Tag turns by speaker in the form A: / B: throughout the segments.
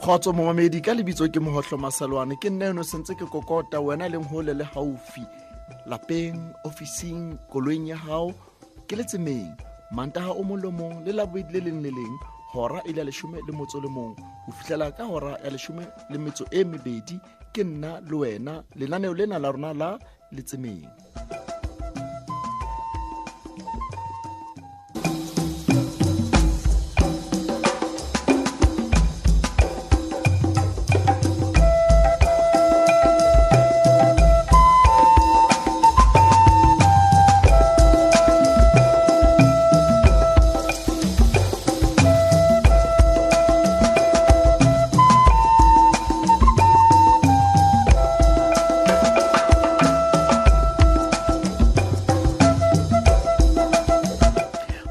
A: Kgotso momamedi ka lebitso ke Mohohlo Masalwane ke nna eno sentse ke kokota wena leng hole le haufi lapeng ofising koloing ya hao ke letsemeng Mantaha o mong le mong le Labobedi le leng le leng hora e le ya 11 ho fihlela ka hora ya 12 ke nna le wena lenaneo lena la rona la letsemeng.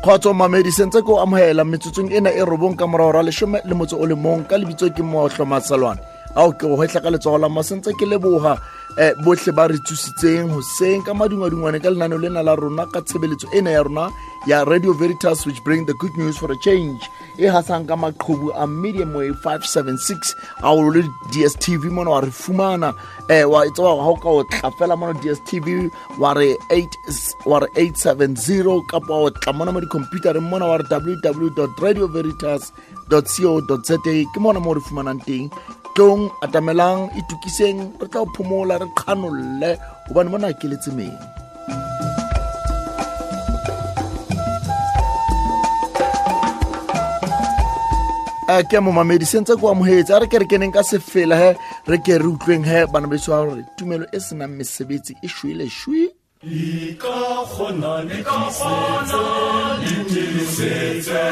A: Kgotso mamedi sentse ko amohela metsotsong ena e 9 ka morao ra 11 ka lebitso ke Mohohlo Masalwane ao ke go hwetla ka letsogo la masentse ke leboha bohle ba re tsositseng hoseng ka madungwadungwane ka lenaneo lena la rona ka tshebeletso ena ya rona ya Radio Veritas, which bring the good news for a change e hasang ka maqhubu a medium wave 576 a o le DSTV mona wa re fumana wa tswa ha o ka o tla fela mona DSTV wa re 870 kapa o tla mona mo di-computereng mona wa re www.radioveritas.co.za ke mona mo re fumanang teng. Tlong atamelang itukiseng re tla o phomola re qhanolle hobane mona ke letsemeng. Ke momamedi sentse ko amohetse a re ke re keneng ka sefela he re ke re utlweng he bana beso hore tumelo e senang mesebetsi e shwele shwi.
B: Ka kgona le tiisetse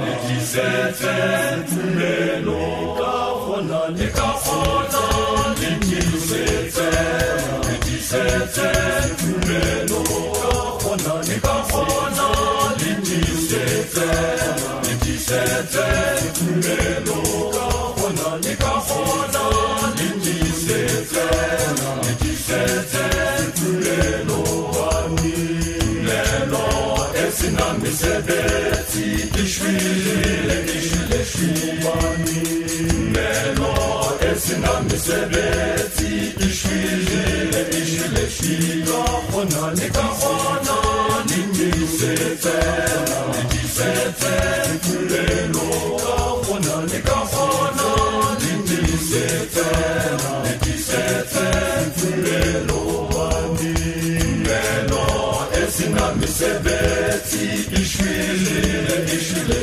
B: le tiisetse tumelo ka kgona le ka kgona le tiisetse le tiisetse tumelo ka kgona le ka kgona le tiisetse le tiisetse tumelo ka kgona le ka kgona le tiisetse le tiisetse tumelo tumelo e senang mesebetsi e shwele e shwele tumelo e senang mesebetsi e shwele e shwele ka kgona le ka kgona le tiisetse le tiisetse tumelo ka kgona le ka kgona le tiisetse le tiisetse tumelo tumelo e senang mesebetsi e shwele e shwele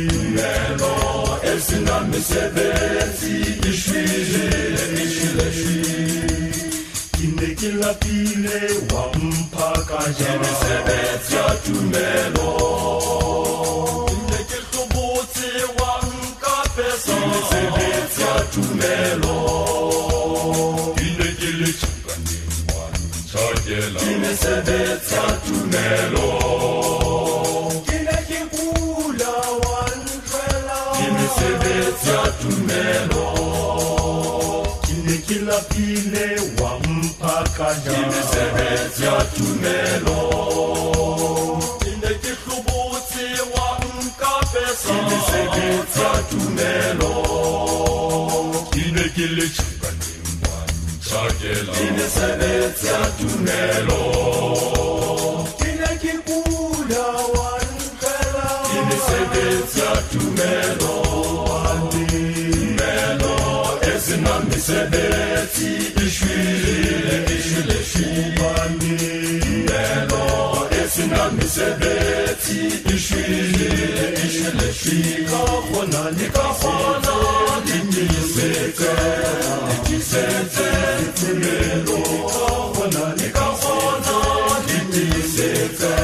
B: tumelo e senang mesebetsi e shwele e shwele. Ke ne ke lapile wa mpha ka ja mesebetsi ya tumelo ke ne ke hlobotse wa nkapesa mesebetsi ya tumelo ke ne ke le tjhankaneng wa ntjhakela ke mesebetsi ya tumelo ke ne ke kula wa ntlwela ke mesebetsi ya tumelo ke ne ke lapile wa mpha ka ja ke mesebetsi ya tumelo ke ne ke hlobotse wa nkapesa ke mesebetsi ya tumelo ke ne ke le tjhankaneng wa ntjhakela ke mesebetsi ya tumelo ke ne ke kula wa ntlwela ke mesebetsi ya tumelo tumelo e senang mesebetsi e shwele e shwele tumelo e senang mesebetsi e shwele e shwele ka kgona le ka kgona le tiisetse le tiisetse tumelo ka kgona le ka kgona le tiisetse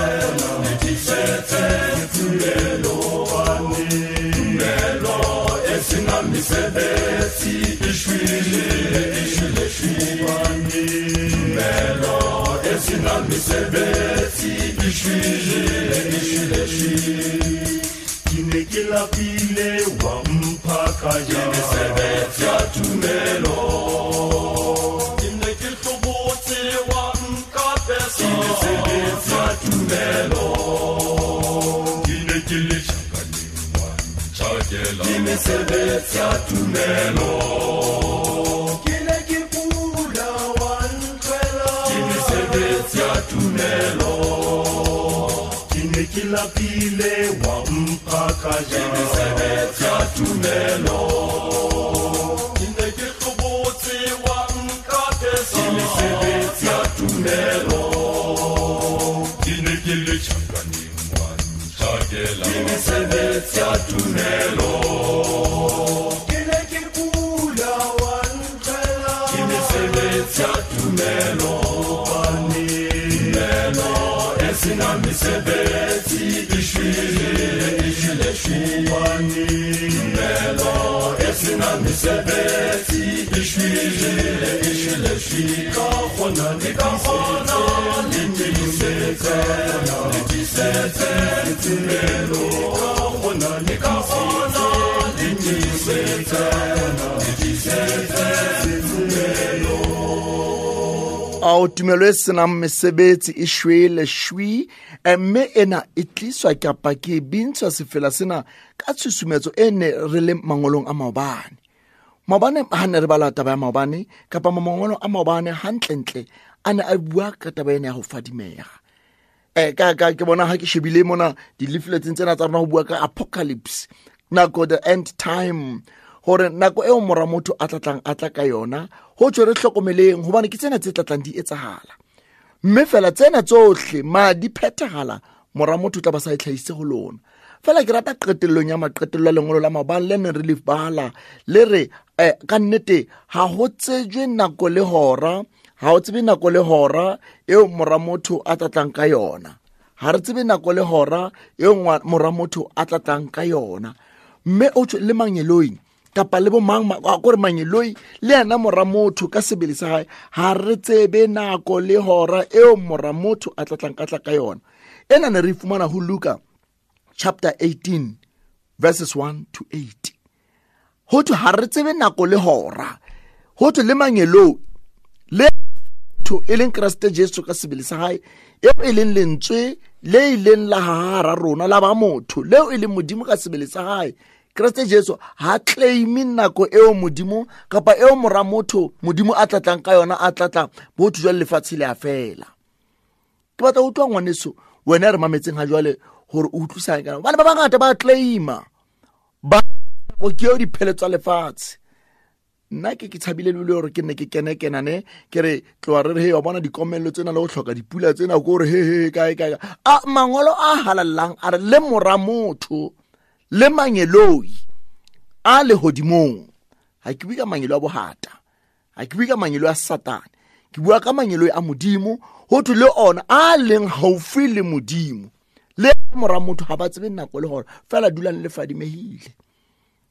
B: le tiisetse tumelo tumelo e senang mesebetsi e shwele e shwele tumelo e senang mesebetsi e shwele e shwele. Ke ne ke lapile wa mpha ka ja ke mesebetsi ya tumelo ke ne ke hlobotse wa nkapesa ke mesebetsi ya tumelo ke ne ke le tjhankaneng wa ntjhakela ke Mesebetsi ya tumelo. Ke ne ke kula wa ntlwela. Ke mesebetsi ya tumelo. Ke ne ke lapile wa mpha ka ja. Ke mesebetsi ya tumelo. Ke ne ke hlobotse wa nkapesa. Ke mesebetsi ya tumelo. Ke ne ke le tjhankaneng wa ntjhakela. Ke mesebetsi ya tumelo. Ke ne ke kula wa ntlwela. Ke mesebetsi ya tumelo. Tumelo e senang mesebetsi e shwele, e shwele, shwele. Tumelo e senang mesebetsi e shwele, e shwele, shwele. Ka kgona le ka kgona le tiisetse, le tiisetse tumelo. Ka kgona le ka kgona le tiisetse, le tiisetse tumelo.
A: Ao tumelo e senang mesebetsi e shwele shwi, mme ena e tliswa kapa ke bintshwa sefela sena ka tshusumetso e ne re le mangolong a maobane. Maobane ha ne re bala taba ya maobane kapa mangolo a maobane hantlentle a ne a bua ka taba ena ya ho fadimeha. Ka ke bona ha ke shebile mona di-leafletseng tsena tsa rona ho bua ka apocalypse, nako the end time, hore nako eo mora motho a tlatlang a tla ka yona ho tswe re hlokomeleng hobane ke tsena tse tlatlang di etsahala. Mme fela tsena tsohle ma di phethahala mora motho tla ba sa e tlhahise ho lona. Fela ke rata qetellong ya maqetello a lengolo la maobane le neng re le bala le re ka nnete ha ho tsejwe nako le hora, ha ho tsebe nako le hora eo mora motho a tlatlang ka yona. Ha re tsebe nako le hora eo mora motho a tlatlang ka yona. Mme o tswe le mangeloi kapa le bo mang kore mangeloi le yena mora motho ka sebele sa hae ha re tsebe nako le hora eo mora motho a tlatlang ka tla ka yona. Ena ne re fumana ho Luka chapter 18 verses 1 to 8. Ho thwe ha re tsebe nako le hora, ho thwe le mangeloi le motho e leng Kreste Jesu ka sebele sa hae eo e leng lentswe le ileng la hara rona la ba motho leo e leng Modimo ka sebele sa hae. Kreste Jesu ha claim nako eo Modimo kapa eo mora motho Modimo a tlatlang ka yona a tlatlang botho jwa lefatshe le a fela. Ke batla ho utlwa ngwaneso wena re mametseng ha jwale hore o utlwisang ka bana ba bangata ba claima ba o ke o dipheletso tsa lefatshe. Nna ke tshabile le hore ke ne ke kene kenane ke re tloa re re he wa bona dikomello tsena le ho hloka dipula tsena ko re he he kae kae. A mangolo a halallang a re le mora motho le mangeloi a lehodimong. Ha ke bue ka mangeloi a bohata, ha ke bue ka mangeloi a Satane, ke bua ka mangeloi a Modimo. Ho thwe le ona a leng haufi le Modimo le mora motho ha ba tsebe nako le hore fela dulang le fadimehile.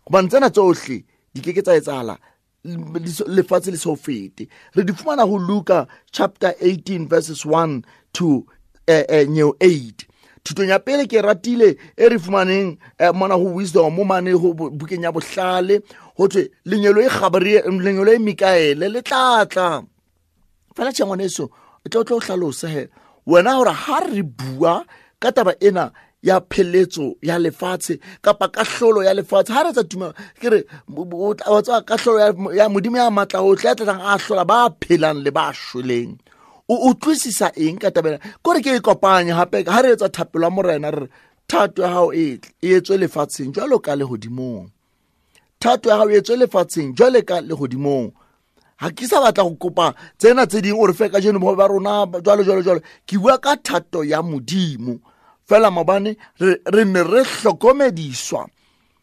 A: Hobane tsena tsohle di ke ke tsa etsahala lefatshe le so fete. Re di fumana ho Luka chapter 18 verses 1 to 8. Thutong ya pele ke ratile e re fumaneng mona ho Wisdom mo mane ho bukeng ya bohlale ho thwe lenyelo e Gabriel lenyelo e Mikaele le tlatla. Fela tjhe ngwaneso e tlo hlalosa he wena hore ha re bua ka taba ena ya pheletso ya lefatshe kapa kahlolo ya lefatshe ha re tsa tuma ke re wa tswa kahlolo ya Modimo ya matla ohle ya tlatlang a hlola ba phelang le ba shweleng. O utlwisisa eng ka taba ena? Kore ke e kopanye hape ha re etsa thapelo ya Morena re thato ya hao e etswe lefatsheng jwalo ka lehodimong. Thato ya hao e etswe lefatsheng jwalo ka lehodimong. Ha ke sa batla go kopa tsena tse ding o re fe kajeno bohobe ba rona jwalo jwalo jwalo. Ke bua ka thato ya Modimo. Fela maobane re ne re hlokomediswa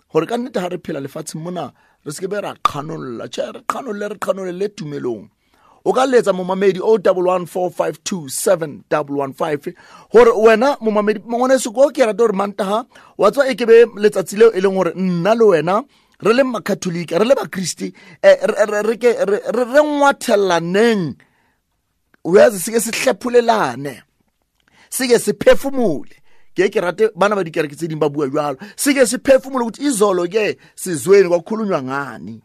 A: hore ka nnete ha re phela lefatsheng mona re se ke be ra qhanolla. Tjhe, re qhanolle, re qhanolle tumelong. O ka letsa momamedi 011452715 hore wena momamedi ngwaneso ko ke rata hore Mantaha wa tswa e ke be letsatsi leo e leng hore nna le wena re le Makatholika re le Bakriste re ke re ngwathelaneng uyazi sike sihlephulelane sike siphefumule. Ke rate bana ba dikereke tse ding ba bua jwalo, sike siphefumule ukuthi izolo ke sizweni kwakhulunywa ngani.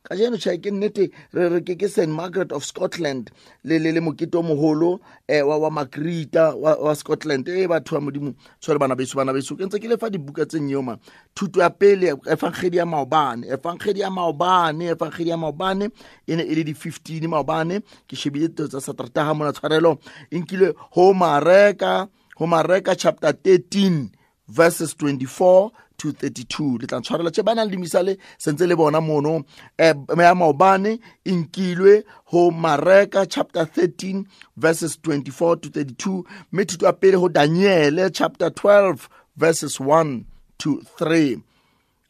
A: Kajeno tjhe ke nnete re re ke St Margaret of Scotland le le le mokete o moholo wa Margarita wa Scotland. Batho ba Modimo tshware bana beso ke ntse ke lefa dibuka tse nyeo ma. Thuto ya pele evangeli ya maobane e ne e le di 15 maobane. Ke shebile tsa Satertaha mona tshwarelo e nkile ho Mareka chapter 13 verses 24 to 32. Le tla tshwarela tse bana le dimisale sentse le bona mono. Ya maobane e nkilwe ho Mareka chapter 13 verses 24 to 32, mme thuto ya pele ho Daniele chapter 12 verses 1 to 3.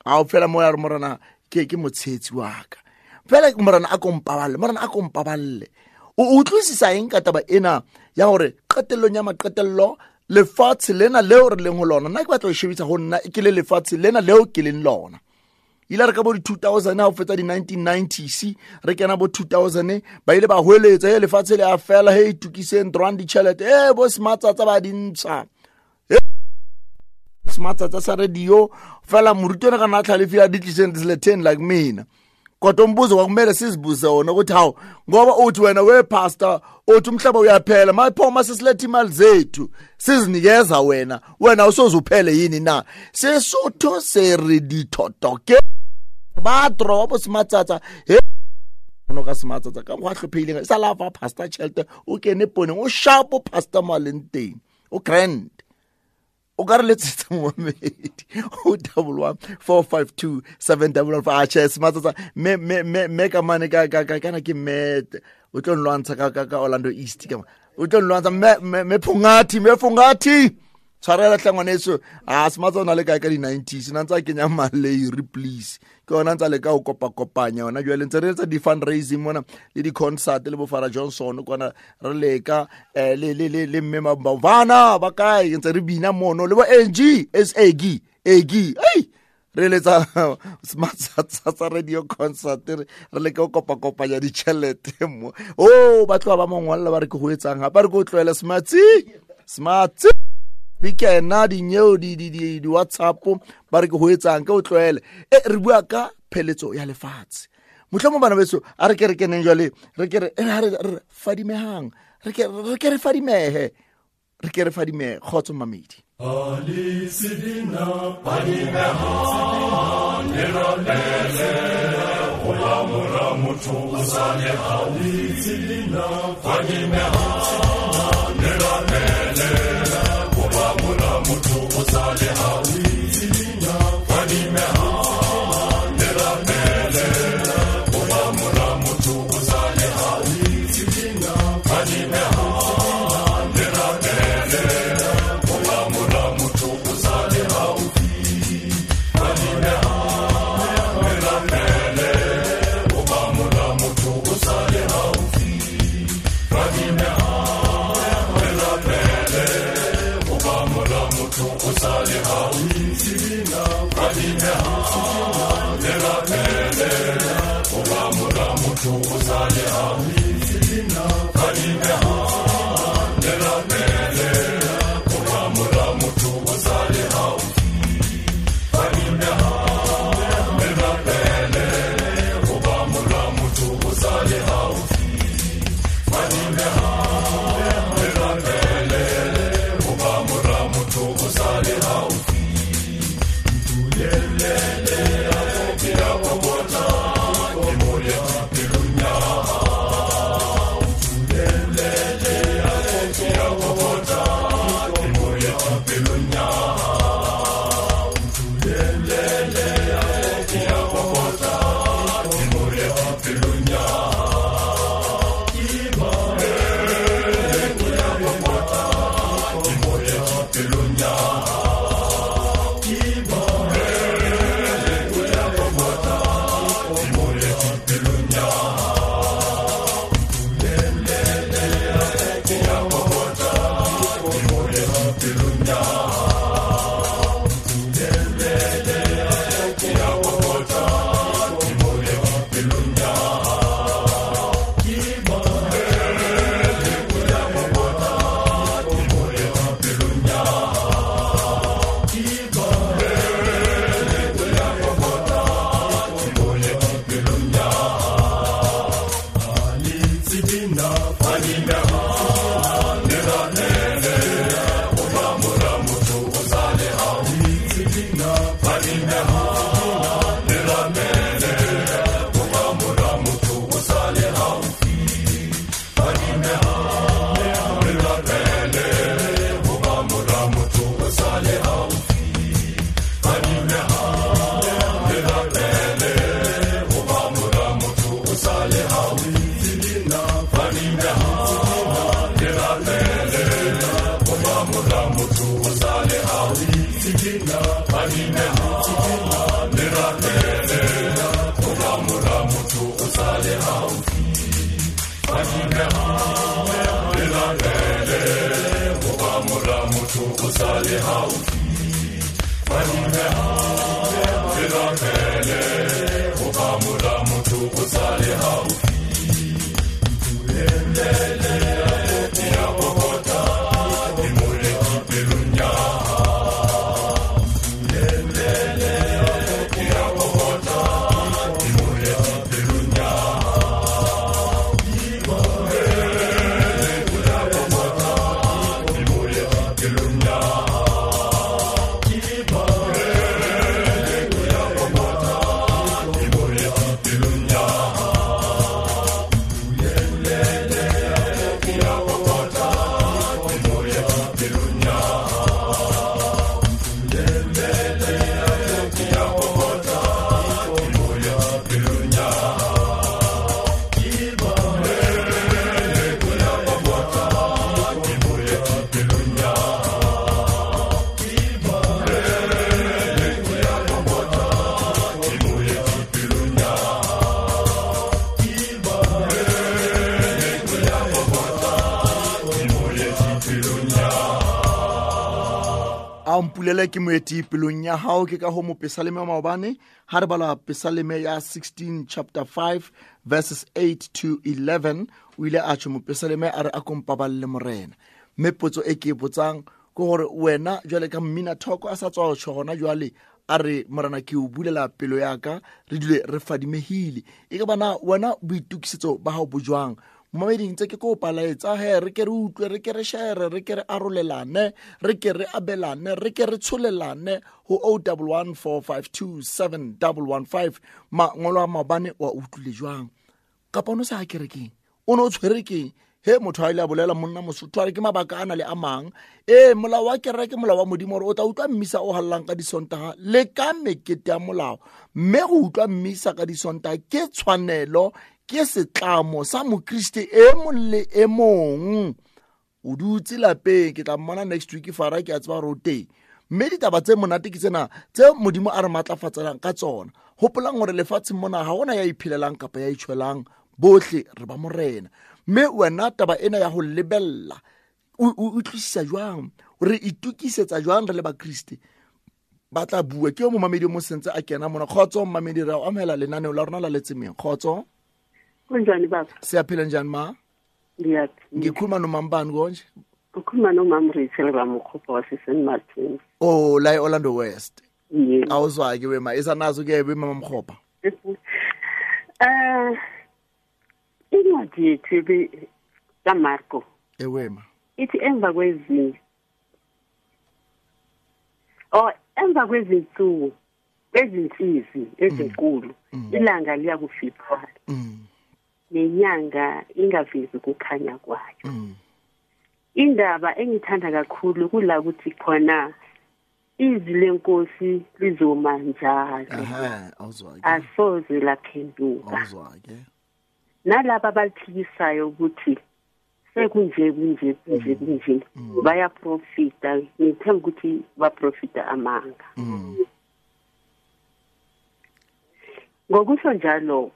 A: A o fela mo ya re morena ke motshetsi wa ka. Fela morena a kompaballe. O utlwisisa eng ka taba ena ya hore qetellong ya maqetello lefatshe lena leo re leng ho lona? Nna ke batla ho shebisa ho nna ke le lefatshe lena leo ke leng lona. Ile re ka bo di 2000 ha o fetsa di 1990s re kena bo 2000 ba ile ba hweletsa e lefatshe le a fela, he itukiseng drone ditjhelete bo sematsatsa ba dintsha sematsatsa sa radio fela morutwana ka na tlhalefile a di tliseng disleten like mina. Kodwa umbuzo kwakumele sizibuze wona ukuthi hawu, ngoba uthi wena we pastor uthi umhlaba uyaphela, maphoma sesiletha imali zethu sizinikeza wena usozuphele yini na? Sesotho se re dithoto ke ba drobo sematsatsa he no ka sematsatsa ka go hlophehileng sa la fa pastor tjhelete o kene poneng o sharp pastor malenteng o grand. O ka re letsetsa momedi o 1 452 755. Atjhe sematsatsa me ka mane ka kana ke me o tlo nlwantsha ka Orlando East ka o tlo nlwantsha me phungathi tshwarela hle ngwaneso. A sematsatsa o na le kae ka di 90s na ntsa kenya maleiri please ke yona ntsa le ka o kopakopanya yona jwale ntse re etsa di fundraising mona le di concert le bo Farah Johnson kwana re leka le le le le mme bana ba kae ntse re bina mono le bo NG SAG AG ei re letsa sematsatsa radio concert re leka o kopakopanya ditjhelete mo o ba tloha ba mongwalla ba re ke ho etsang hape re ke o tlohele smarts di kena di nyeo di WhatsApp ba re ke ho etsang ke o tlohele. Re bua ka pheletso ya lefatshe. Mohlomong bana beso a re ke re keneng jwale re ke re re fadimehang re ke re fadimehe re ke re fadimehe. Kgotso mamedi.
B: Yeah. o sa le haufi. Fadimeha, le rapele, hoba mora motho o sa le haufi. Ya kokota, ke moeti pelong ya hao. Ya kokota, ke moeti pelong ya hao. Ya kokota, ke moeti pelong ya hao. Ya kokota, ke moeti pelong ya hao. Ya kokota, ke moeti pelong ya hao. Ya kokota, ke moeti pelong ya hao. Ya kokota, ke moeti pelong ya hao. Ya kokota, ke moeti pelong ya hao. Ya kokota, ke moeti pelong ya hao.
A: A mpulele ke moeti pelong ya hao. Ke ka ho mopesaleme wa maobane ha re bala pesaleme ya 16 chapter 5 verses 8 to 11, o ile a tjho mopesaleme a re a kompaballe morena. Mme potso e ke e botsang ke hore wena jwale ka mmina thoko a sa tswa ho tjho hona jwale a re morena ke o bulela pelo ya ka, re dule re fadimehile. E ka bana wena boitokisetso ba hao bo jwang? Momameding tse ke kopa laetsa he re ke re utlwe, re ke re share, re ke re arolelane, re ke re abelane, re ke re tsholelane ho 0114527115. Mangolo a maobane wa utlwile jwang? Kapa o no sa kerekeng, o no tshwere keng? He motho a ile a bolela monna Mosotho a re ke mabaka a na le a mang. Ee, molao wa kereke, molao wa Modimo hore o tla utlwa mmisa o hallang ka disontaha le ka mekete ya molao. Mme go utlwa mmisa ka disontaha ke tshwanelo, ke setlamo sa mokriste e mong le e mong. O dutse lapeng, ke tla mmona next week fara, ke a tseba hore o teng. Mme ditaba tse monate ke tsena tse Modimo a re matlafatselang ka tsona. Hopolang hore lefatsheng mona ha hona ya iphelelang kapa ya itjhwelang, bohle re ba morena. Mme wena taba ena ya ho lebella o utlwisisa jwang? Re itokisetsa jwang re le bakriste? Ba tla bua ke yo momamedi o mo sentse a kena mona. Kgotso momamedi, re a o amohela lenaneo la rona la Letsemeng. Kgotso.
C: Kunjani baba?
A: Siyaphila njani ma?
C: Ngiyaphila.
A: Ngikhuluma nomambani konje?
C: Ukhuluma nomama Rachel Ramokgopa wase St Martins.
A: Oh, la e-Orlando West.
C: Yes.
A: Awuzwa ke wema, isanazo ke wema Mamkgopa.
C: Incwadi yethu kaMarko.
A: Ewema.
C: Ithi emva kwezinsuku ezinsizi ezinkulu ilanga liyakufiphala. Nenyanga ingavezi ukukhanya kwayo. Indaba engithanda kakhulu kula ukuthi khona izwi lenkosi lizoma njalo.
A: Awuzwa ke.
C: Asoze laphenduka.
A: Awuzwa ke.
C: Nalaba abaliphikisayo ukuthi sekunje kunje kunje kunje bayaprofita, ngithemba ukuthi baprofita amanga. Ngokusho njalo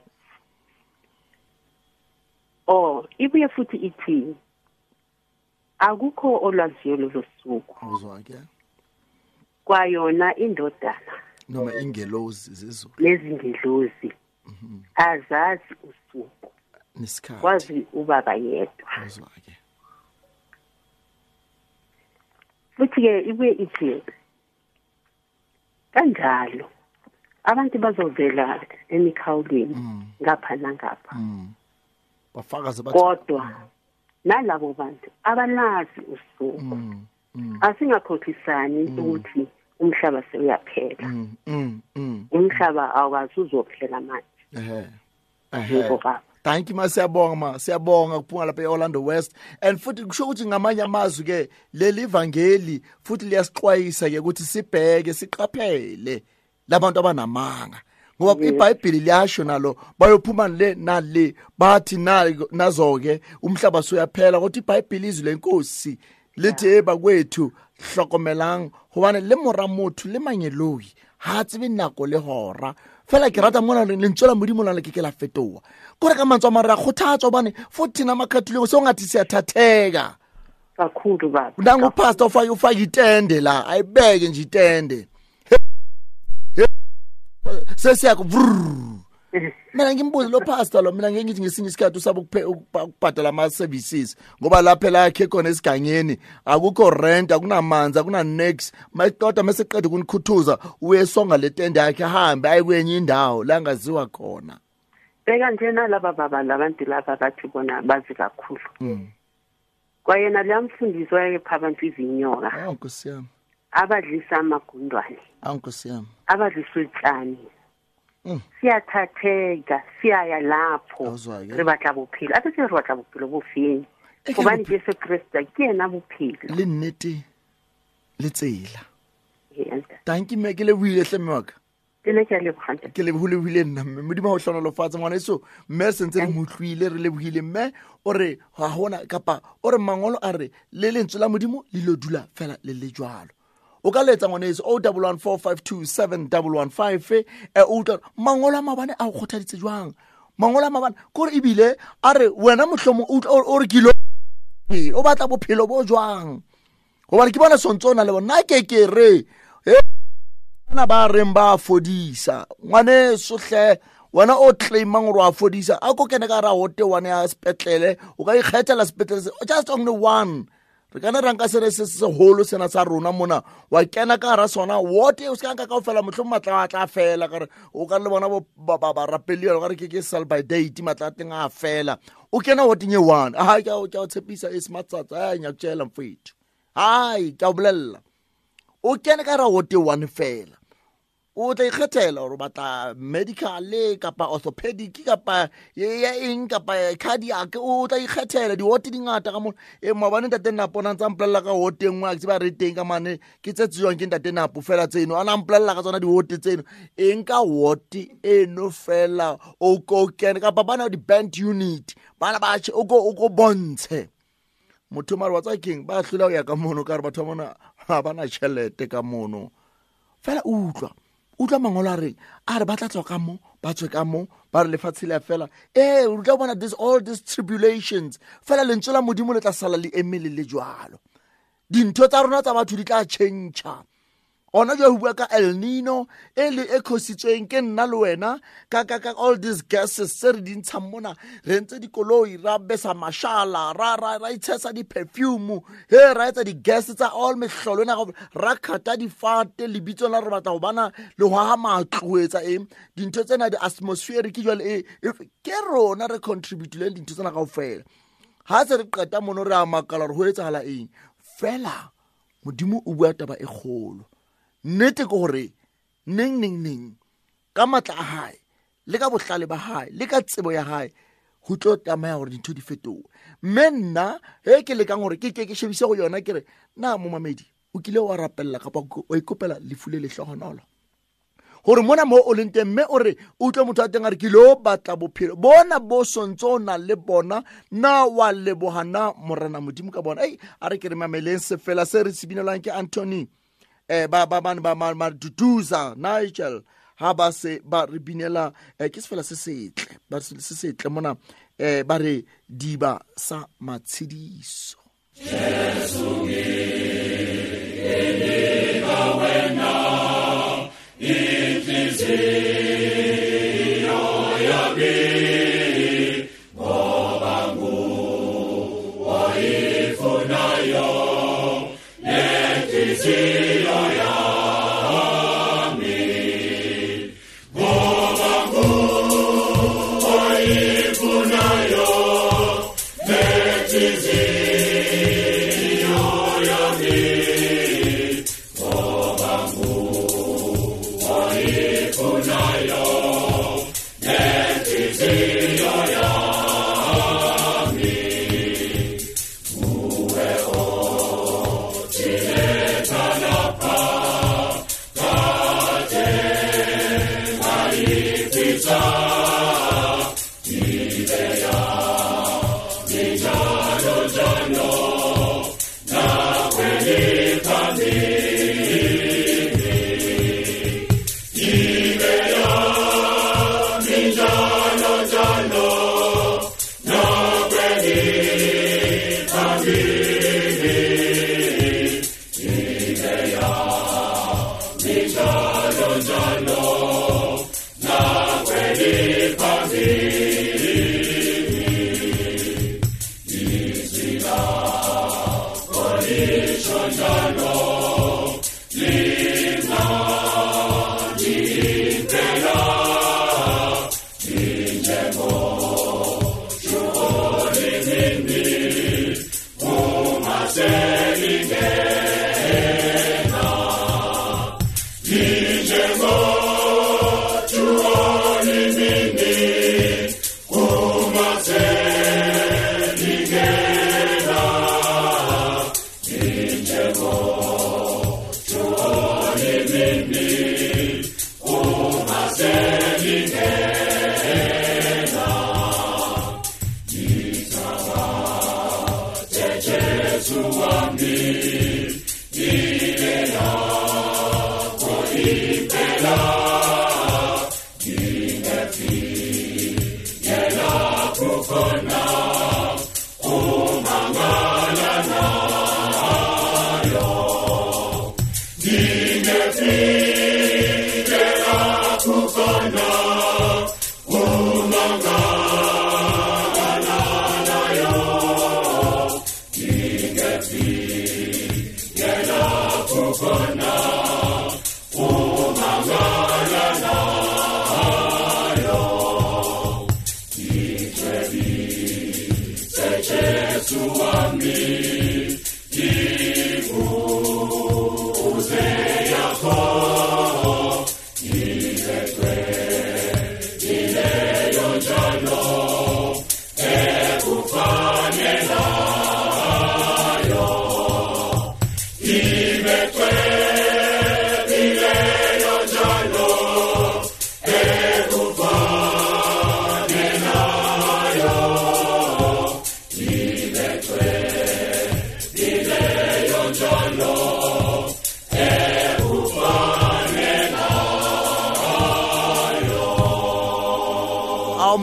C: ibuye futhi ithi akukho olwaziyo lolo suku.
A: Awuzwa ke.
C: Kwayona indodana
A: noma ingelozi zezulu
C: nezingelozi azazi usuku
A: nesikhathi,
C: kwazi ubaba yedwa.
A: Awuzwa ke.
C: Futhi ke ibuye ithi kanjalo abantu bazovela emikhawulweni ngapha nangapha.
A: Bafakaze bathi
C: kodwa nalabo bantu abalazi usuku. Asingakhohlisani ukuthi umhlaba sewuyaphela. Umhlaba awukazi uzophela manje.
A: Ehe. Thank you ma, siyabonga ma, siyabonga kuphuma lapha eOrlando West. And futhi kusho ukuthi ngamanye amazwi ke leli ivangeli futhi liyasixwayisa ke ukuthi sibheke siqaphele labantu abanamanga. Ngoba iBhayibheli liyasho nalo bayophuma le nale bathi nazo ke umhlaba soyaphela, kodwa iBhayibheli izwi lenkosi lithi ebakwethu hlokomelang hobane le mora motho le mangeloi ha tsebe nako le hora. Fela ke rata mona lentswe la Modimo la ke ke la fetoha. Kore ka mantswe a mare a kgothatsa hobane futhi thina amakhatholika songathi siyathatheka.
C: Kakhulu baba.
A: Nangu pastor ufaka itende la, ayibeke nje itende. Sesiyakho. Mina ngimbuze lo pastor lo, mina ngithi ngesinye isikhathi usaba ukubhadala ama services ngoba lapha la yakhe khona esigangeni akukho rent, akunamanzi, akuna nex. Mayiqoda mase qeda ukunikhuthuza uyesonga le tende yakhe ahambe aye kwenye indawo la angaziwa khona.
C: Beka nje nalaba baba labantu laba bathi bona bazi kakhulu. Kwayena liyamfundisi wayepha abantu izinyoka.
A: Awu Nkosi yami.
C: Abadlisa amagundwane.
A: Awu Nkosi yami.
C: Abadlisa utshani. Siyathatheka, siyaya lapho. Re batla bophelo. A se re batla bophelo bo feng? Hobane Jesu Kriste ke yena bophelo.
A: Le nnete le tsela. Thank you me ke lebohile hle mme wa ka.
C: Ke ne ke a leboha.
A: Ke lebohile nna mme. Modimo o hlonolofatse ngwaneso. Mme sentse re mo utlwile, re lebohile mme o re ha hona kapa o re mangolo a re le lentswe la Modimo le lo dula fela le le jwalo. O ka letsa ngwaneso 0114527115 o utlwa mangolo a mabane a o kgothaditse jwang? Mangolo a mabane kore ebile a re wena mohlomo o re kilo o batla bophelo bo jwang? Hobane ke bona sontso o na le bona ke re bana ba reng ba fodisa ngwaneso hle wena o claimang gore wa fodisa a ko kene ka ra hote one ya sepetlele o ka ikgethela sepetlele just only one. Re kana ra nka sere se seholo sena sa rona mona wa kena ka ra sona wote o se ka nka kaofela mohlomong matla a tla fela ka re o ka le bona bo ba rapeli ka re ke sell by date matla a teng a fela o kena woteng e one. Ha ke o tshepisa e sematsatsa a nyakutshela mfethu. Hai ke a bolella o kene ka ra wote one fela o tla ikgethela gore o batla medical kapa orthopedic kapa ya eng kapa cardiac, o tla ikgethela diwote di ngata ka mona. E maobane ntate Napo na ntsa mpolella ka wote e nngwe a ke tseba re teng ka mane ke tse tsejwang ke ntate Napo fela tseno a na mpolella ka tsona diwote tseno eng ka wote eno fela o ko kene kapa bana di-band unit bana ba o ko bontshe motho mare wa tsa keng ba hlola ho ya ka mono ka re batho ba mona ha bana tjhelete ka mono fela utlwa mangolo a reng a re ba tla tswa ka mo ba tswe ka mo ba re lefatshe le a fela o tla bona this all these tribulations fela lentswe la Modimo le tla sala le eme le le jwalo. Dintho tsa rona tsa batho di tla tjhentjha. Ona jwa ho bua ka El Nino e le e khositsweng ke nna le wena ka all these gases tse re di ntshang mona re ntse dikoloi ra besa mashala ra itshesa di-perfume he ra etsa di-gas tsa all mehlolo ena ra khata difate lebitso la re batla ho bana le ho haha matlo etsa eng dintho tsena di-atmospheric jwale ke rona re contributileng dintho tsena kaofela. Ha se re qeta mono re a makala hore ho etsahala eng fela Modimo o bua taba e kgolo. Nnete ke hore neng neng neng ka matla a hae le ka bohlale ba hae le ka tsebo ya hae ho tlo tlameha hore dintho di fetohe. Mme nna he ke lekang hore ke shebise ho yona ke re na momamedi o kile wa rapella kapa wa ikopela lefu le lehlohonolo hore mona mo o leng teng mme o re o utlwe motho a teng a re ke lo batla bophelo bona bo sontso o na le bona na wa leboha na Morena Modimo ka bona. Ei a re ke re mameleng sefela se re se binelwang ke Anthony ba Duduza Nigel ha ba se ba re binela ke sefela se setle ba se setle mona ba re diba sa matshediso.
B: Jesu ke ka wena inhliziyo yami ngoba nguwe oyifunayo nenhliziyo yami ngoba nguwe oyifunayo nenhliziyo yami ngoba nguwe oyifunayo nenhliziyo yami nguwe othiletha.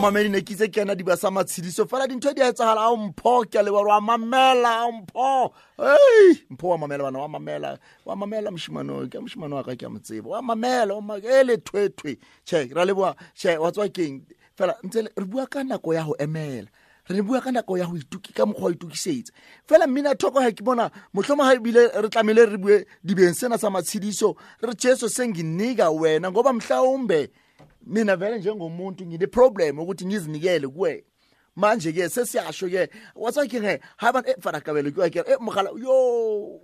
A: Mamedi ne ke itse ke yana diba sa matshediso fela dintho di a etsahala. Ao Mpho, ke a leboha wa mamela. Ao Mpho, ei Mpho wa mamela bana, wa mamela, wa mamela moshimane, ke moshimane wa ka ke a mo tseba, wa mamela e le thwethwe. Tjhe, ra leboha. Tjhe, wa tswa keng fela ntse re bua ka nako ya ho emela, re bua ka nako ya ho ituki ka mokgwa wa itukisetsa fela. Mmina thoko ha ke bona mohlomong ha ebile re tlamehile re bue dibeng sena sa matshediso, re Jesu senginika wena ngoba mhlawumbe mina vele njengomuntu ngine problem ukuthi ngizinikele kuwe. Manje ke sesiyasho ke watswa ke he ha ba fana kabelo ke ke mogala yo o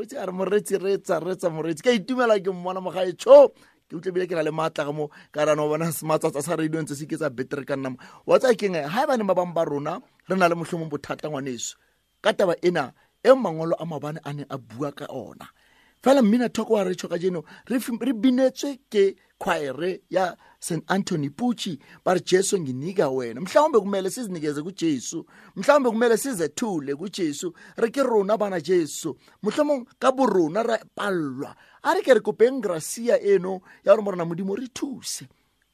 A: itse a re moretsi retsa retsa moretsi ke itumela ke mmona mogae tsho ke utlwe bile ke na le matla ga mo ka rana bona sematsatsa sa radio ntse se ke tsa better ka nna mo wa tsa ke ha ba ne ba bang ba rona re na le mohlomong bothata ngwaneso ka taba ena e mangolo a mabane a ne a bua ka ona. Fela mmina thoko wa re tsho ka jeno re binetswe ke choir ya St Anthony Pucci ba re Jesu nginika wena. Mhlawumbe kumele sizinikeze kuJesu, mhlawumbe kumele sizethule kuJesu, re ke rona bana Jesu, mohlomong ka borona re pallwa. A re ke re kopeng gracia eno ya gore morena Modimo re thuse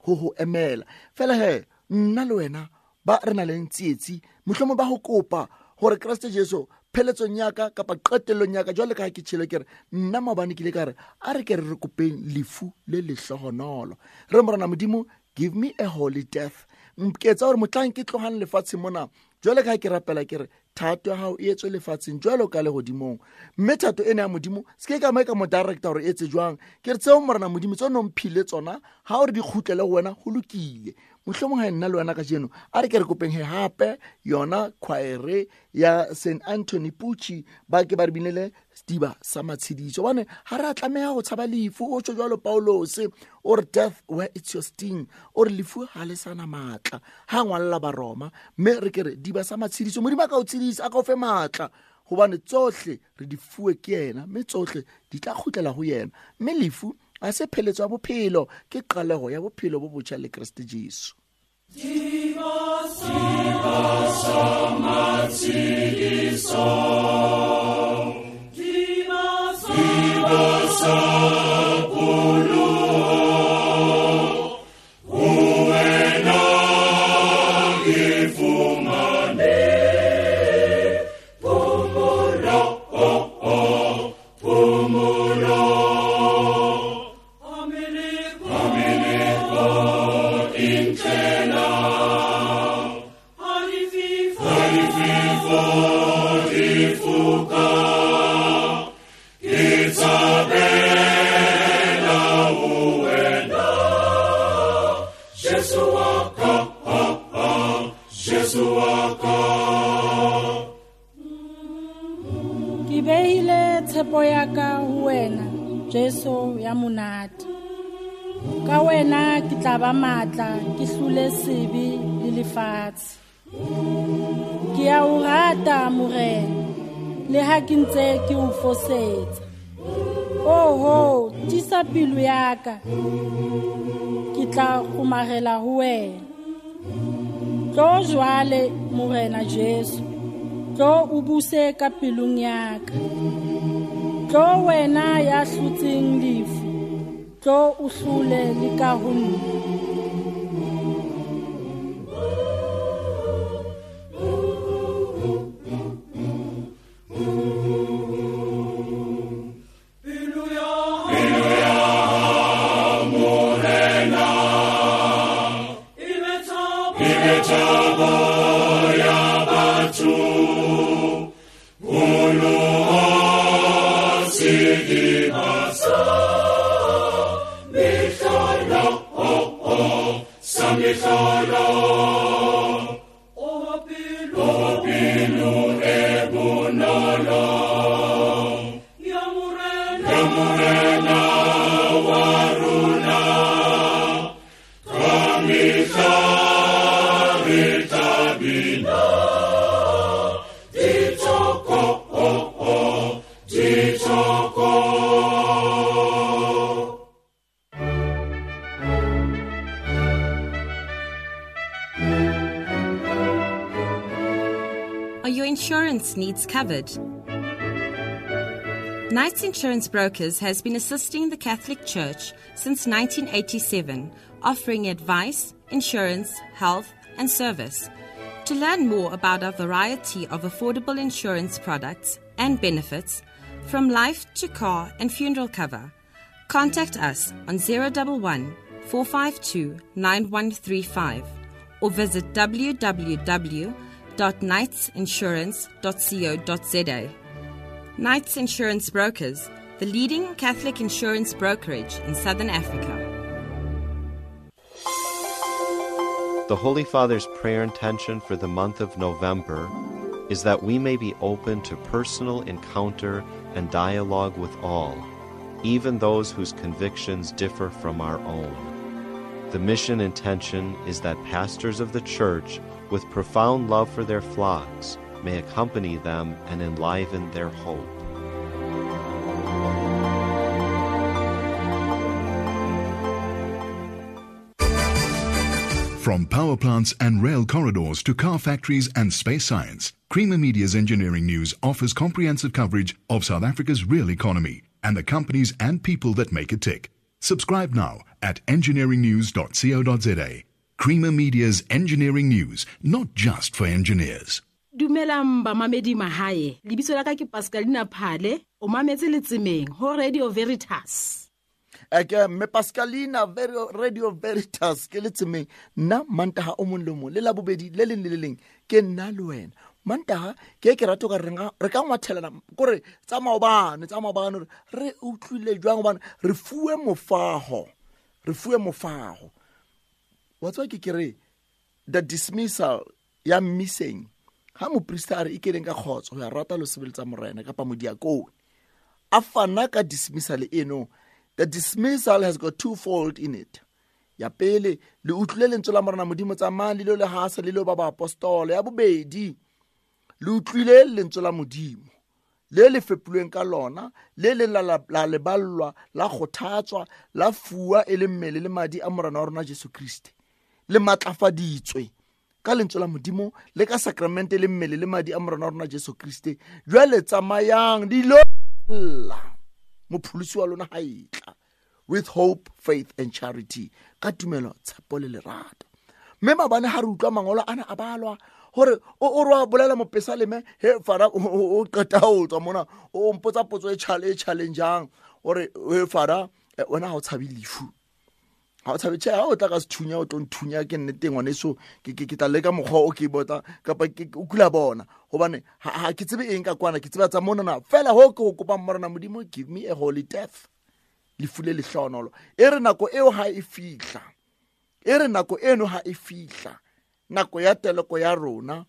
A: ho emela. Fela he nna le wena ba re na le tsietsi mohlomong ba ho kopa hore Kreste Jesu pheletsong ya ka kapa qetellong ya ka jwale ka ha ke tshele ke re nna maobane ke ile ka re a re ke re kopeng lefu le lehlohonolo, re morena Modimo give me a holy death, nketsa hore motlang ke tlohang lefatsheng mona jwale ka ha ke rapela ke re thato ya hao e etswe lefatsheng jwalo ka lehodimong. Mme thato ena ya Modimo se ke ka mo ka mo director hore e etse jwang, ke re tseo morena Modimo tseo no mphile tsona ha o re di kgutlele ho wena ho lokile. Mohlomong ha nna le wena kajeno a re ke re kopeng he hape yona choir ya St Anthony Pucci ba ke ba re binele sediba sa matshediso, hobane ha re a tlameha ho tshaba lefu. O tjho jwalo Paulus o re death where it's your sting, o re lefu ha le sana matla ha ngwalla ba Roma. Mme re ke re diba sa matshediso Modimo a ka o tshedisa, a ka o fe matla, hobane tsohle re di fuwe ke yena mme tsohle di tla kgutlela ho yena. Mme lefu a se pheletso ya bophelo, ke qaleho ya bophelo bo botjha le Kreste Jesu.
B: Diba sa matshediso, diba sa pholoho, ho wena ke fumane phomolo, phomolo. Harifi,
D: Ke behile tshepo ya ka ho wena, Jesu ya monate. Ka wena ke tla ba matla, ke hlole sebe le lefatshe. Ke a o rata Morena, le ha ke ntse ke o fosetsa. Oho, tiisa pelo ya ka, ke tla kgomarela ho wena. Tlo jwale Morena Jesu, tlo o buse ka pelong ya ka. Tlo wena ya hlotseng lefu, tlo o hlole le ka ho nna.
E: Needs covered. Knights Insurance Brokers has been assisting the Catholic Church since 1987, offering advice, insurance, health, and service. To learn more about our variety of affordable insurance products and benefits, from life to car and funeral cover, contact us on 011 452 9135 or visit www.knightsinsurance.co.za. Knights Insurance Brokers, the leading Catholic insurance brokerage in Southern Africa.
F: The Holy Father's prayer intention for the month of November is that we may be open to personal encounter and dialogue with all, even those whose convictions differ from our own. The mission intention is that pastors of the Church with profound love for their flocks may accompany them and enliven their hope.
G: From power plants and rail corridors to car factories and space science, Creamer Media's Engineering News offers comprehensive coverage of South Africa's real economy and the companies and people that make it tick. Subscribe now at engineeringnews.co.za. Creamer Media's Engineering News, not just for engineers.
H: Dumelang bamamedi mahae, lebitso la ka ke Pascalina Phale, o mametse letsemeng ho Radio Veritas.
A: Eke mme Pascalina Radio Veritas ke letsemeng nna Mantaha o mong le mong le labobedi le leng le le leng ke nna le wena. Mantaha ke ke rato ka re ka ngwathelana kore tsa maobane re utlwile jwang hobane re fuwe mofaho. Wa tswa ke re the dismissal ya missing ha moprista a re ikeleng ka kgotso ho ya rata lo sebeletsa morena kapa modiakone a fana ka dismissal eno. The dismissal has got twofold in it. Ya pele le utlwile lentswe la morena Modimo tsamayang le lo le hasa le lo ba baapostolo. Ya bobedi le utlwile lentswe la Modimo le le fepulweng ka lona le le la leballwa la kgothatswa la fuwa e le mmele le madi a morena wa rona Jesu Kriste le matlafaditswe ka lentswe la Modimo le ka sakramente le mmele le madi a morena wa rona Jesu Kriste. Jwale tsamayang dilo la mopholosi wa lona ha etla with hope, faith and charity, ka tumelo, tshepo le lerato. Mme mabane ha re utlwa mangolo ana a balwa hore o re wa bolela mopesaleme he fara o qeta ho tswa mona o mpotsa potso e challenge-ang hore he fara wena ha o tshabe lefu, ha o tshabe tjhe, ha o tla ka sethunya o tlo nthunya ke nnete ngwaneso ke tla leka mokgwa o ke botsa kapa ke o kula bona hobane ha ke tsebe eng ka kwana, ke tseba tsa mona na fela ho ke ho kopa morena Modimo give me a holy death, lefu le lehlonolo. E re nako eo ha e fihla, e re nako eno ha e fihla, nako ya teleko ya rona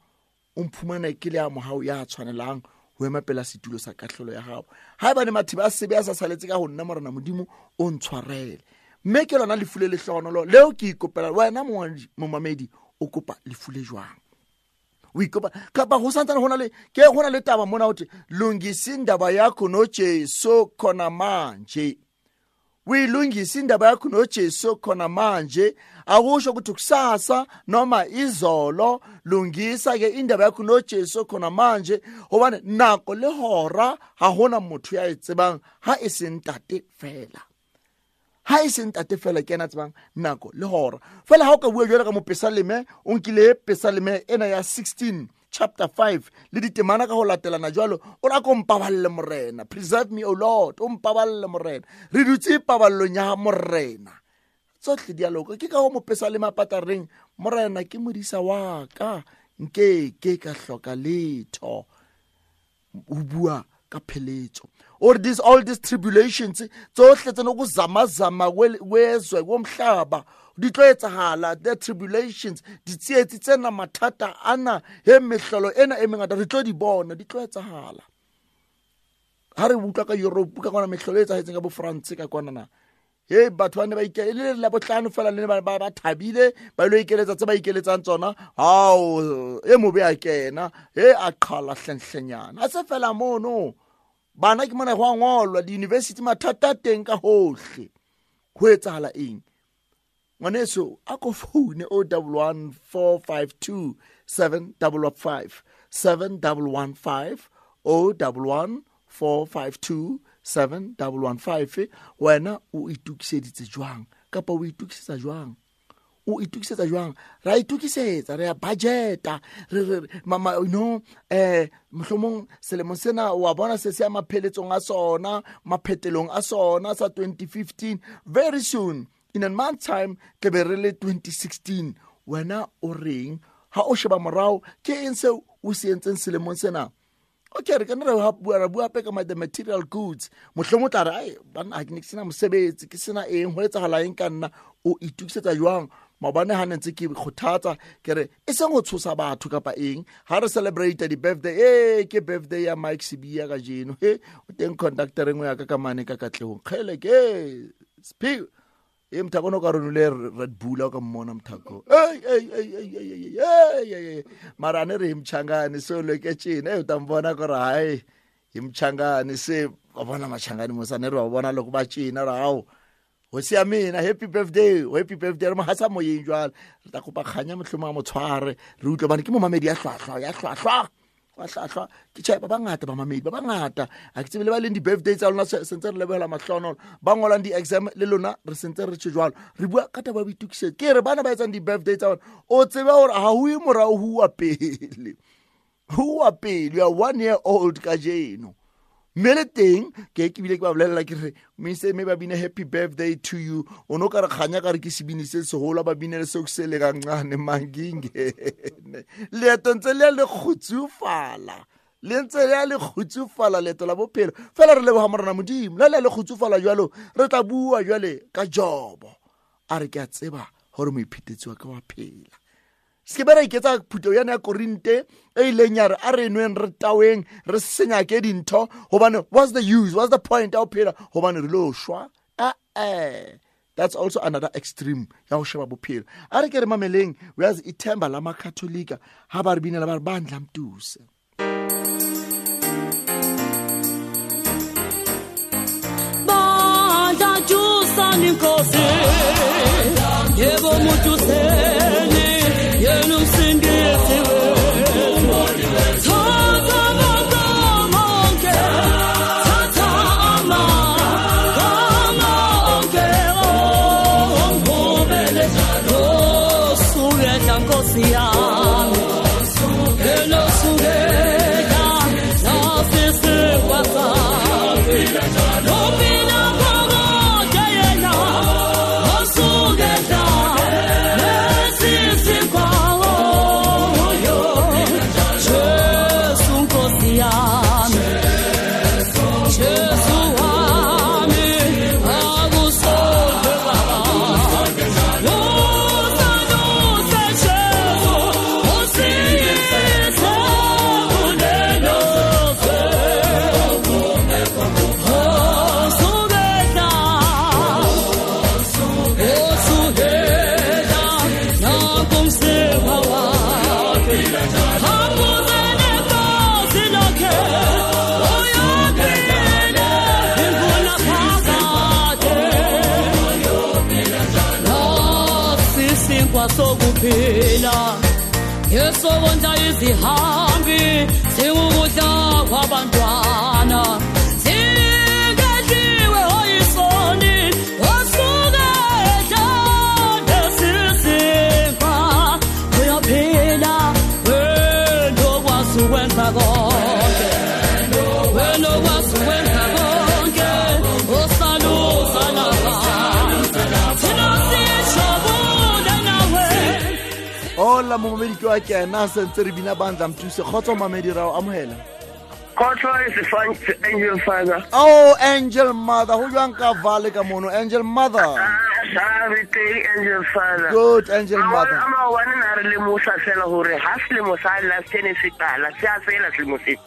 A: o mphumane ke le a mohau ya tshwanelang ho ema pela setulo sa kahlolo ya gago. Ha eba ne mathiba a sebe a sa saletse ka ho nna Morena Modimo o ntshwarele. Mme ke lona lefu le lehlohonolo leo ke ikopela wena momamedi o kopa lefu le jwang? O ikopa kapa ho santsane hona le ke hona le taba mona hothi lungisa indaba yakho noJesu khona manje. Uyilungisa indaba yakho noJesu khona manje. Akusho ukuthi kusasa noma izolo, lungisa ke indaba yakho noJesu khona manje, hobane nako le hora ha hona motho ya e tsebang ha e se ntate fela. Ha e se ntate fela ke ena tsebang nako le hora. Fela ha o ka bua jwalo ka mopesaleme, o nkile pesaleme ena ya 16 chapter 5 le ditemana ka ho latelana jwalo, o ra ko mpaballe Morena, preserve me o Lord, o mpaballe Morena. Re dutse paballong ya Morena, tsohle di a loka. Ke ka ho mopesaleme a patareng, Morena ke modisa wa ka, nke ke ka hloka letho. O bua ka pheletso. Or this all these tribulations tsohle tsena ukuzamazama kwezwe komhlaba di tlo etsahala, the tribulations, ditsietsi tsena, mathata ana, he mehlolo ena e mengata re tlo di bona, di tlo etsahala. Ha re utlwa ka Europe ka kwana mehlolo e etsahetseng ka bo France ka kwana na, he batho ba ne ba ikele le la bohlano fela le ba ba thabile ba lo ikeletsa tse ba ikeletsang tsona, hao e mobe a kena he a qhala hlenhlenyana. A se fela mono bana ke mona go a ngolwa di-university mathata teng ka hohle. Ho etsahala eng? Ngwaneso a ko foune 011 452 715 7115 011 452 7115. Wena o itokiseditse jwang kapa o itokisetsa jwang? O itokisetsa jwang? Ra itokisetsa, re a budgeta, re mama you know, mohlomong selemo sena wa bona se se ya mapheletsong a sona, maphetelong a sona sa 2015. Very soon in a month time ke be re le 2016. Wena o reng ha o sheba morao? Ke eng seo o se entseng selemong sena? Okay, re kana re bua ra bua hape ka the material goods. Mohlomong tla re ai bana ha ke ne ke sena mosebetsi, ke sena eng, ho etsahala eng ka nna? O itokisetsa jwang? Maobane ha ne ntse ke kgothatsa ke re e seng ho tshosa batho kapa eng, ha re celebrate di birthday, ke birthday ya Mike Sibiya kajeno, he o teng conductor engwe ya ka ka mane ka Katlehong, kgele ke Sphiwe e mthako no ka ronule Red Bull ka mmona mthako. Ei ei ei ei ei ei ei mara ne re mchangane so leke tjena e utambona gore hai imchangane se ba bona machangane mo sa ne re ba bona loko ba tjena ra hao ho sia mina happy birthday, happy birthday re mo hasa moyeng jwale. Re tla kopa kganya mohlomong a mo tshware re utlwe bane ke momamedi ya hlwahlwa ya hlwahlwa wa hlwahlwa. Ke tjhe ba bangata ba mamedi ba bangata a ke tsebe le ba leng di-birthday tsa lona sentse re lebohela mahlonolo ba ngolang di-exam le lona re sentse re tjhe jwalo. Re bua ka taba ya boitokisetso. Ke re bana ba etsang di-birthday tsa bona o tsebe hore ha ho ye morao ho uwa pele, ho uwa pele. You are 1 year old kajeno. Mme le teng ke bile ke ba bolella ke re mme mme ba bine happy birthday to you. O no ka re kganya ka re ke sebini se seholo ba binele seo se le kancane mangingene. Leeto ntse le le kgutsufala, le ntse le le kgutsufala leeto la bophelo. Fela re leboha Morena Modimo le le kgutsufala jwalo. Re tla bua jwale ka Jobo a re ke a tseba hore moiphetetsi wa ka wa phela. Se ke ra iketsa phutheo yana ya Korinte e ileng ya re a re nweng re taweng re senyake dintho hobane what's the use, what's the point ya ho phela hobane re lo shwa. That's also another extreme ya ho sheba bophelo. A re ke re mameleng uyazi ithemba la makatholika ha ba re binela ba re bandla mtuse.
I: Bandla tjusani nkosi yebo mutuseni yena umsindisi wethu. Thatha amagama onke, thatha amagama onke, ongihubele osukela Nkosi yami, enosukela nasisikwa sakhe. Uphila phakade yena, osuka Uyaphila ngesokondla izihambi singukudla kwabantwana singedliwe oyisoni osuke edla lesizinkwa. Uyaphila wena okwazi ukwenza konke, wena okwazi ukwenza konke, osalusa lapha thina sijabule nawe.
A: Hola momamedi ke wa kena sentse re bina bandla mthuse. Kgotso mamedi ra o amohela.
J: Kgotso is Angel Father.
A: Oh, Angel Mother, ho jwang ka vale ka mono Angel Mother?
J: Re teng Angel Father.
A: Good Angel Mother.
J: Ama wa nna re le mosa fela hore ha selemo sa last ne se qala, se a fela selemo se.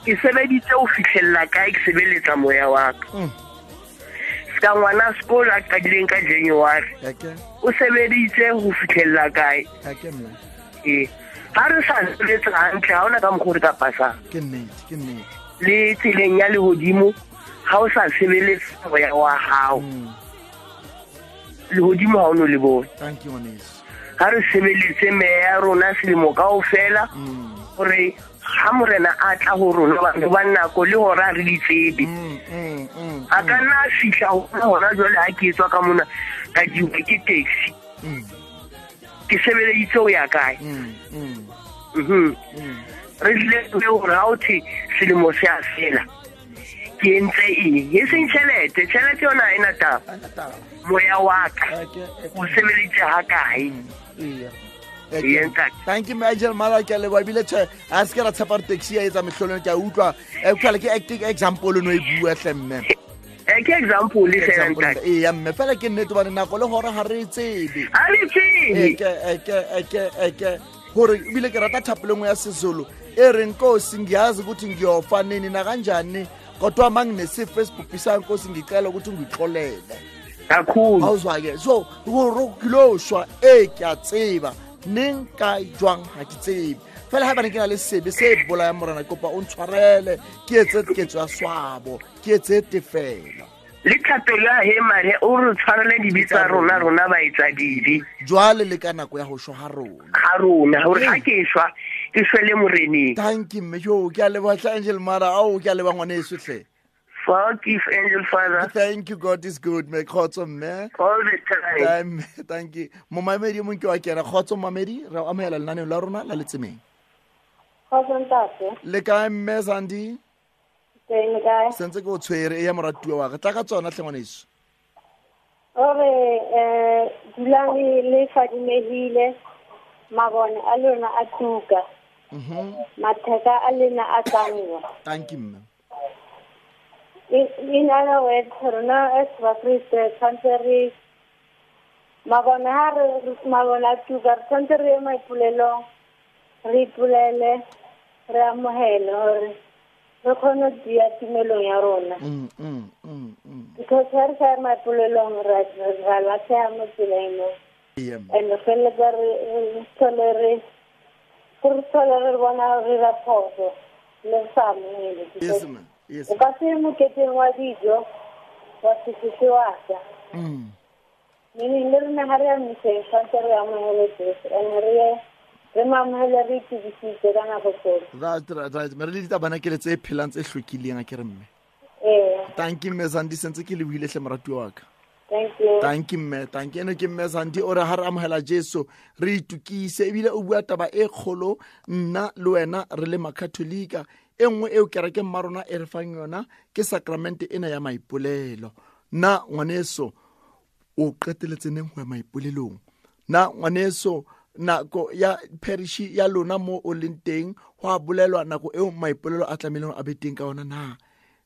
J: Ke sebeditse ho fihlella kae, ke sebeletsa moya wa ka. Ska ngwana sekolo a qadileng ka January.
A: Okay.
J: O sebeditse ho fihlella kae?
A: Okay mme.
J: Ha re sa sebetsa hantle, ha hona ka mokgwa re ka pasang.
A: Ke nnete, ke nnete.
J: Le tseleng ya lehodimo, ha o sa sebeletse moya wa hao. Lehodimo ha o no le bone.
A: Thank you ngwaneso.
J: Ha re sebeletse meya ya rona selemo kaofela, hore ha morena a tla ho rona batho ba nako le hora re di tsebe. A ka nna a fihla ho hona jwale ha ke etswa ka mona ka diwa ke taxi. Ke sebeleditse ho ya kae? Re tlile hore ha o thwe selemo se a fela, ke entse eng? E seng tjhelete, tjhelete yona ha ena taba. Moya wa ka o sebeleditse ha kae?
A: Thank you Angel Mother, ke a leboha ebile tjhe a se ke ra tshepa hore taxi ya etsa mehlolong, ke a utlwa. Utlwa ke acting example no e bua hle mme.
J: Ke example le fela ntate.
A: Eya mme fela ke nnete hobane nako le hora ha re e tsebe.
J: Ha re tsebe.
A: Ke hore ebile ke rata thapelo nngwe ya Sezulu e reng Nkosi ngiyazi ukuthi ngiyofa nini nakanjani kodwa manginesifo esibhubhisayo Nkosi ngicela ukuthi ungixolele.
J: Kakhulu.
A: Awuzwa ke so hore ke lo shwa e ke a tseba neng ka jwang ha ke tsebe. Fela ha bane ke na le sebe se bolayang morena kopa o ntshwarele ke etse ketso ya swabo ke etse tefelo.
J: Le thapelo ya he mare o re tshwarele dibe tsa rona rona ba etsa dibe.
A: Jwale le ka nako ya ho shwa ha rona.
J: Ha rona hore ha ke shwa ke shwele moreneng.
A: Thank you mme jo ke a leboha hle Angel Mother ao ke a leboha ngwaneso hle.
J: Thank you, Angel Father.
A: Thank you, God is good. Me khotso mme.
J: All the time.
A: Thank you. Momamedi mong ke wa kena khotso momamedi re amohela lenaneo la rona la letsemeng.
K: Khotso ntate.
A: Le kae mme Zandi?
K: Teng le kae?
A: Sentse ke o tshwere e ya moratuwa wa ka. Tla ka tsona hle ngwaneso.
K: Ore dulang le fadimehile mabone a lona a tuka. Matheka a lena a tsamwa.
A: Thank you mme.
K: In other words, rona as Bakreste tshwanetse re mabone ha re mabone a tuka re tshwanetse re ye maipolelong re ipolele re amohele hore re kgone ho tiya tumelong ya rona. Because ha re sa ye maipolelong ra lahleha mo tseleng mo. And re feleletsa re thole re thole re bona re ra phoso le re sa amohele.
A: Yes ma'am. Yes.
K: O ka se moketeng wa dijo wa se fihle wa ja. Meaning le rona ha re ya mmiseng tshwanetse re amohele Jesu and re mo amohele re itukisitse ka nako tsohle.
A: That's right. Mme re le ditabana ke le tse phelang tse hlwekileng a ke re mme. Thank you mme Zandi sentse ke lebohile hle moratuwa wa ka.
K: Thank you.
A: Thank you mme. Thank you. Eno ke mme Zandi o re ha re amohela Jesu re itukise ebile o bua taba e kgolo nna le wena re le makatholika. E nngwe eo kereke mma rona e re fang yona ke sacrament ena ya maipolelo. Na ngwaneso o qeteletse neng ho ya maipolelong? Na ngwaneso nako ya parish ya lona mo o leng teng ho a bolelwa nako eo maipolelo a tlamehileng a be teng ka ona na?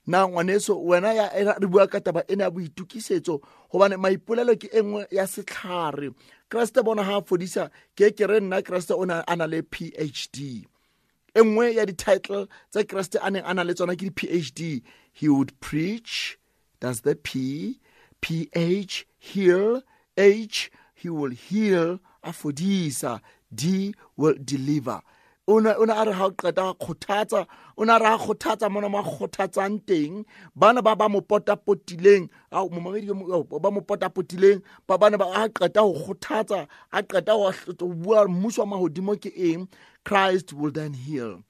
A: Na ngwaneso wena ya re bua ka taba ena ya boitukisetso hobane maipolelo ke e nngwe ya setlhare. Kreste bona ha a fodisa ke ke re nna Kreste o ne a na le PhD. E nngwe ya di-title tse Kreste a neng a na le tsona ke di-PhD. He would preach, that's the P, P-H, heal, H, he will heal, a fodisa, D will deliver. O ne a re ha o qeta kgothatsa, o ne a re ha kgothatsa mona mo kgothatsang teng bana ba ba mo potapotileng, ao momamedi ba mo potapotileng, ba bana ba a qeta ho kgothatsa, a qeta ho bua mmuso wa mahodimo ke eng. Christ will then heal.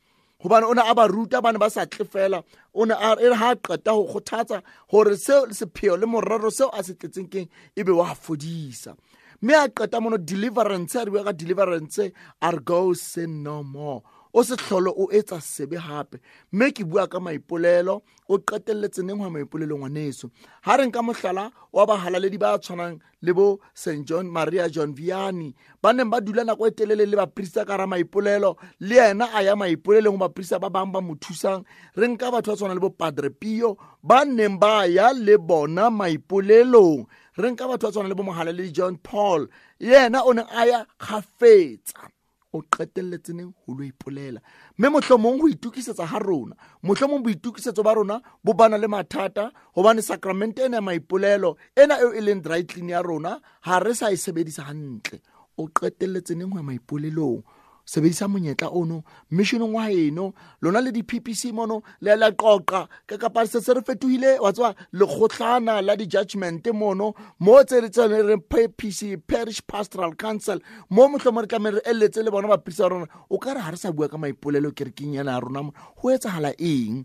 A: Hobane o ne a ba ruta bana ba sa tle fela, o ne a re ha qeta ho kgothatsa hore seo sepheo le morero seo a se tletseng keng ebe wa fodisa. Mme a qeta mono deliverance, a re bua ka deliverance, a re go sin no more. O se hlolo o etsa sebe hape. Mme ke bua ka maipolelo, o qetelletse neng ho maipolelo ngwaneso. Ha re nka mohlala wa bahalaledi ba tshwanang le bo St John Maria John Vianney, ba neng ba dula nako e telele le baprista ka ra maipolelo, le yena a ya maipolelong ho baprista ba bang ba mo thusang. Re nka batho ba tshwanang le bo Padre Pio, ba neng ba ya le bona maipolelong. Re nka batho ba tshwanang le bo mohalaledi John Paul, yena o ne a ya kgafetsa. O qetelletse neng ho lo ipolela. Mme mohlomong ho itokisetsa ha rona, mohlomong boitokisetso ba rona bo bana le mathata, hobane sacrament ena ya maipolelo ena eo e leng dry clean ya rona ha re sa e sebedisa hantle. O qetelletse neng ho ya maipolelong? Sebedisa monyetla ono missionong wa heno, lona le di-PPC mono le la qoqa ka kapa se se re fetohile wa tswa lekgotlana la di-judgment mono mo tse re tsene re PPC, Parish Pastoral Council, mo mohlomong re tlameha re eletse le bona baprista ba rona. O ka re ha re sa bua ka maipolelo kerekeng yana ya rona, ho etsahala eng?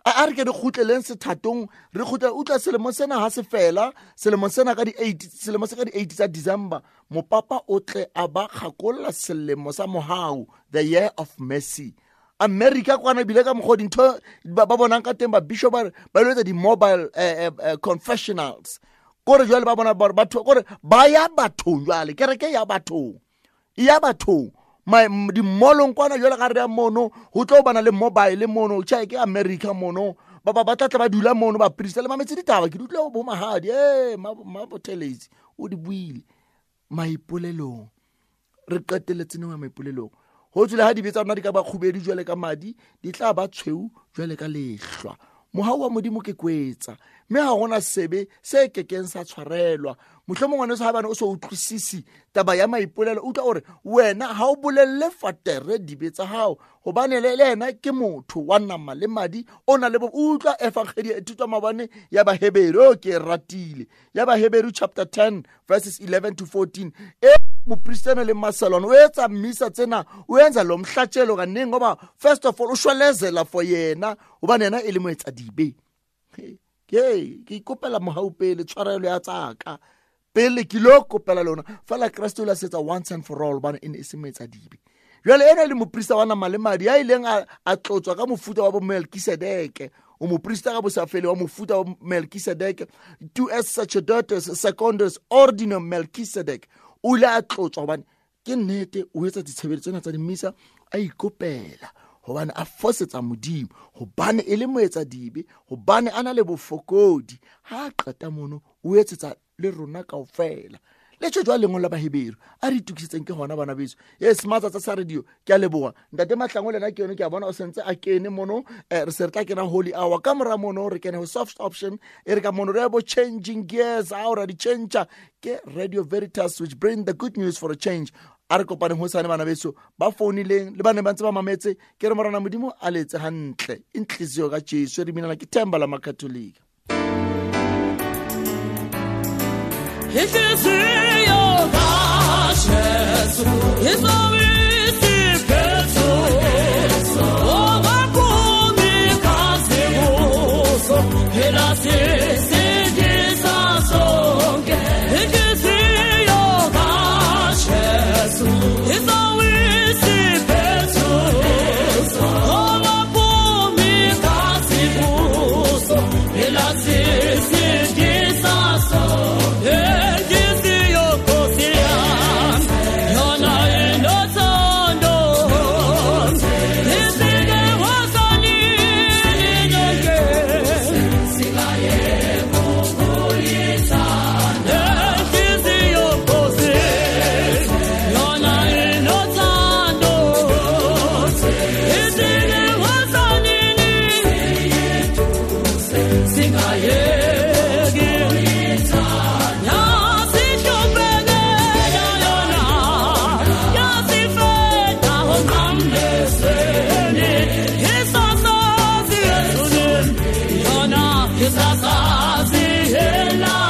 A: A re ke re kgutleleng sethatong, re kgutle utlwa selemo sena ha se fela, selemo sena ka di-8, selemo se ka di-8 tsa December, mopapa o tle a ba kgakolla selemo sa mohau, the year of mercy. America kwana bile ka mokgwa dintho ba bonang ka teng, ba bishop ba lo etsa di-mobile confessionals. Kore jwale ba bona batho, kore ba ya bathong jwale, kereke ya bathong, ya bathong. Di mallong kwana jwale ka re ya mono, ho tlo bana le mobile mono, tjhe ke America mono, ba ba tla tla ba dula mono ba priest le mametse ditaba, ke di utlwa bo mahadi, ma botelezi o di buile maipolelong. Re qetelletse neng maipolelong? Ho tswile ha dibe tsa rona di ka ba kgubedu jwale ka madi, di tla ba tshweu jwale ka lehlwa. Mohau wa Modimo ke kwetsa, mme ha hona sebe se kekeng sa tshwarelwa. Mohlomong ngwaneso ha bane o so utlwisisi taba ya maipolelo, utlwa hore wena ha o bolelle fatere dibe tsa hao, hobane le yena ke motho wa nama le madi, o na le bo utlwa evangeli e thutwa maobane ya Baheberu, o ke ratile ya Baheberu chapter 10 verses 11 to 14. E moprista le Marcelon o etsa mmisa tsena, o enza lo mhlatshelo kaningi ngoba first of all o shwelezela for yena, hobane yena e le moetsadibe. Ke ikopela mohau pele, tshwarelo ya tsaka pele ke lo kopela lona fela. Kreste o la setsa once and for all, hobane e ne e se moetsadibe. Jwale ena le moprista wa nama le madi a ileng a tlotswa ka mofuta wa bo Melkisedeke, o moprista ka bosafele wa mofuta wa Melkisedeke, tu es sacerdotes secundus ordinum Melkisedek. O ile a tlotswa hobane ke nnete o etsa ditshebeletso tsena tsa dimisa, a ikopela hobane a fosetsa Modimo, hobane e le moetsadibe, hobane a na le bofokodi. Ha a qeta mono o etsetsa le rona kaofela. Le tjho jwale lengolo la Baheberu a re itokisetseng ke hona bana beso. Yes, matsatsa sa radio, ke a leboha. Ntate Mahlangu le nna ke yone, ke a bona o sentse a kene mono. Re se re tla kena holy hour ka mora mono, re kene ho soft option, e re ka mono re bo changing gears, ha ora di change. Ke Radio Veritas, which bring the good news for a change. A re kopaneng hosane bana beso, ba founileng le ba neng ba ntse ba mametse, ke re morena Modimo a letse hantle. Inhliziyo ka Jesu re binela ke themba la Makatholika.
I: Inhliziyo kaJesu izawisi phezulu, okwaphuma igazi kuso, phela sisindisa sonke. Inhliziyo kaJesu izawisi phezulu, okwaphuma igazi kuso, phela sisindisa sonke. Inhliziyo Nkosi yami yona inothando, isike wasanini nonke. Lefatshe la.